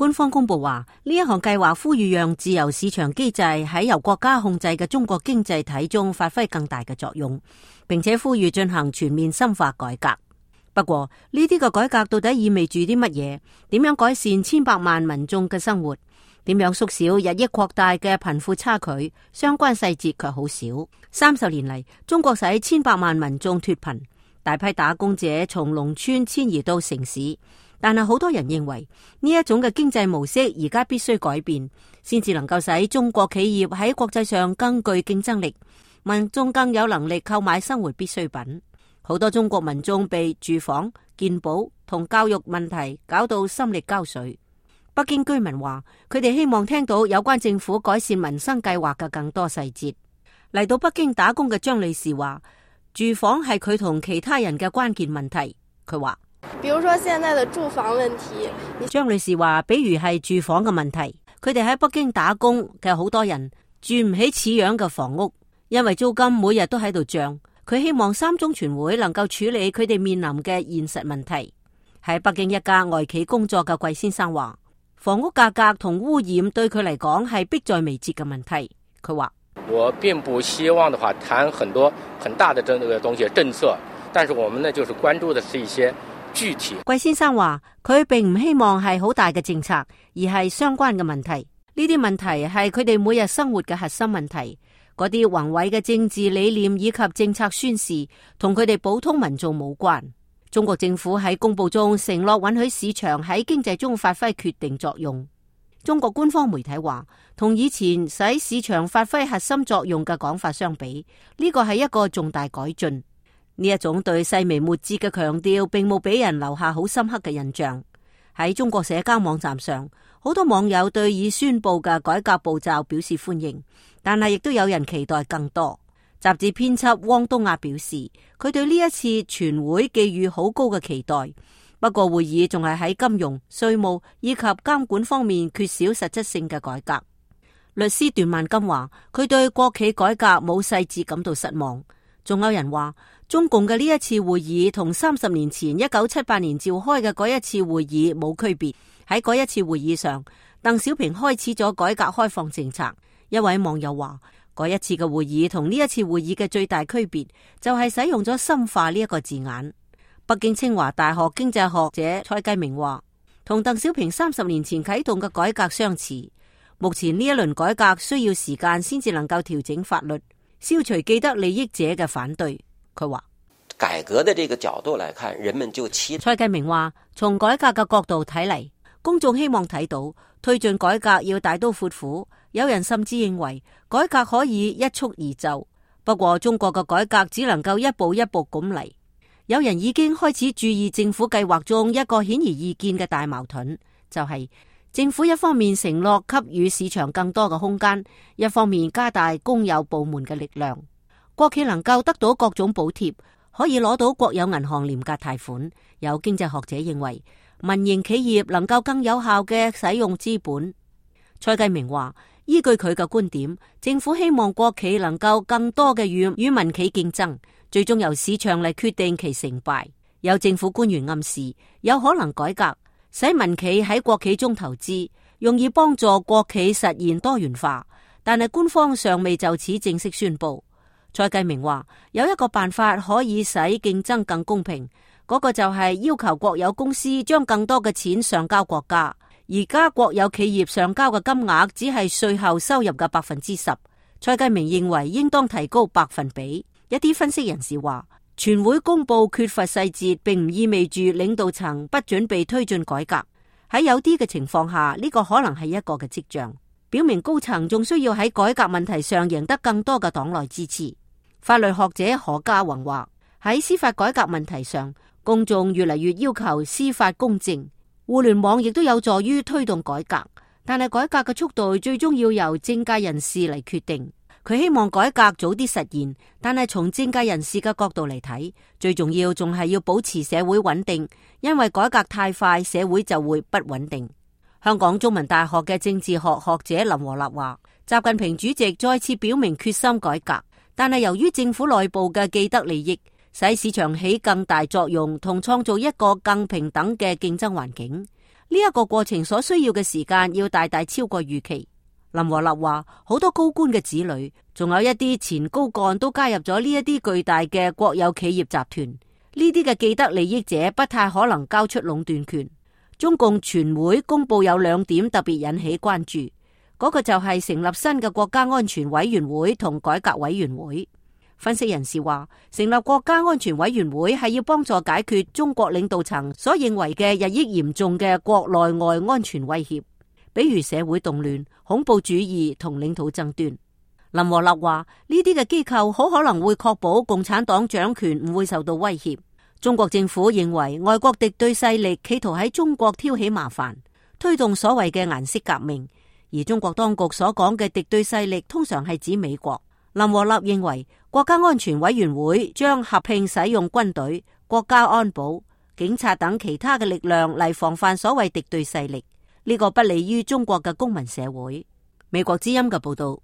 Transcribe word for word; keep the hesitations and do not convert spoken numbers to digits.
官方公布話，呢一項計劃呼籲讓自由市場機制喺由國家控制嘅中國經濟體中發揮更大嘅作用，並且呼籲進行全面深化改革。不過呢啲嘅改革到底意味住啲乜嘢？點樣改善千百萬民眾嘅生活？點樣縮小日益擴大嘅貧富差距？相關細節卻好少。三十年嚟，中國使千百萬民眾脫貧，大批打工者從農村遷移到城市。但係好多人認為呢一種嘅經濟模式而家必須改變，先至能夠使中國企業喺國際上更具競爭力，民眾更有能力購買生活必需品。好多中國民眾被住房、健保同教育問題搞到心力交瘁。北京居民話，佢哋希望聽到有關政府改善民生計劃嘅更多細節。嚟到北京打工嘅張女士話，住房係佢同其他人嘅關鍵問題。佢話，比如說現在的住房問題。張女士話，比如係住房嘅問題，佢哋喺北京打工嘅好多人住唔起似樣嘅房屋，因為租金每日都喺度漲。佢希望三中全會能夠處理佢哋面臨嘅現實問題。喺北京一家外企工作嘅季先生話，房屋價格同污染對佢嚟講係迫在眉睫嘅問題。佢話，我並不希望的話談很多很大的這個東西政策，但是我們呢就是關注的是一些具體。季先生話，佢並唔希望係好大嘅政策，而係相關嘅問題。呢啲問題係佢哋每日生活嘅核心問題。嗰啲宏偉嘅政治理念以及政策宣示同佢哋普通民眾冇關。中國政府喺公布中承諾允許市場喺經濟中發揮決定作用。中國官方媒體話，同以前使市場發揮核心作用嘅講法相比，呢個係一個重大改進。呢一種對細微末節嘅強調並冇俾人留下好深刻嘅印象。喺中國社交網站上，好多網友對已宣布嘅改革步驟表示歡迎，但係亦都有人期待更多。雜誌編輯汪東亞表示，佢對呢一次全會寄予好高嘅期待。不過會議仲係喺金融、稅務以及監管方面缺少實質性嘅改革。律師段萬金話，佢對國企改革冇細節感到失望。仲有人話，中共嘅呢一次會議同三十年前一九七八年召開嘅嗰一次會議冇區別。喺嗰一次會議上，鄧小平開始咗改革開放政策。一位網友話，嗰一次嘅會議同呢一次會議嘅最大區別就係使用咗深化呢一個字眼。北京清華大學經濟學者蔡繼明話，同鄧小平三十年前啟動嘅改革相似。目前呢一輪改革需要時間先至能夠調整法律，消除既得利益者嘅反對。佢話，改革的這個角度來看，人們就期。蔡繼明話，從改革嘅角度睇嚟，公眾希望睇到推進改革要大刀闊斧。有人甚至認為改革可以一蹴而就，不過中國嘅改革只能夠一步一步咁嚟。有人已經開始注意政府計劃中一個顯而易見嘅大矛盾，就係政府一方面承諾給予市場更多嘅空間，一方面加大公有部門嘅力量。國企能夠得到各種補貼，可以攞到國有銀行廉價貸款。有經濟學者認為，民營企業能夠更有效嘅使用資本。蔡繼明話，依據佢嘅觀點，政府希望國企能夠更多嘅與與民企競爭，最終由市場嚟決定其成敗。有政府官員暗示，有可能改革，使民企喺國企中投資，用以幫助國企實現多元化。但係官方尚未就此正式宣布。蔡繼明話，有一個辦法可以使競爭更公平，嗰個就係要求國有公司將更多嘅錢上交國家。而家國有企業上交嘅金額只係稅後收入嘅百分之十。蔡繼明認為應當提高百分比。一啲分析人士話，全會公布缺乏細節，並唔意味住領導層不準備推進改革。喺有啲嘅情況下，呢個可能係一個嘅跡象，表明高層仲需要喺改革問題上贏得更多嘅黨內支持。法律學者何家宏話，喺司法改革問題上，公眾越嚟越要求司法公正。互聯網亦都有助於推動改革，但係改革嘅速度最終要由政界人士嚟決定。佢希望改革早啲實現，但係從政界人士嘅角度嚟睇，最重要仲係要保持社會穩定，因為改革太快，社會就會不穩定。香港中文大學嘅政治學學者林和立話，習近平主席再次表明決心改革，但係由於政府內部嘅既得利益，使市場起更大作用，同創造一個更平等嘅競爭環境。呢呢一個過程所需要嘅時間要大大超過預期。林和立話，好多高官嘅子女，仲有一啲前高幹都加入咗呢一啲巨大嘅國有企業集團，呢啲嘅既得利益者不太可能交出壟斷權。中共全會公布有兩點特別引起關注，嗰個就係成立新嘅國家安全委員會同改革委員會。分析人士話，成立國家安全委員會係要幫助解決中國領導層所認為嘅日益嚴重嘅國內外安全威脅，比如社會動亂、恐怖主義同領土爭端。林和立話，呢啲嘅機構好可能會確保共產黨掌權唔會受到威脅。中國政府認為外國敵對勢力企圖喺中國挑起麻煩，推動所謂嘅顏色革命，而中國當局所講嘅敵對勢力通常係指美國。林和立認為國家安全委員會將合併使用軍隊、國家安保、警察等其他嘅力量嚟防範所謂敵對勢力，呢個不利於中國嘅公民社會。美國之音嘅報道。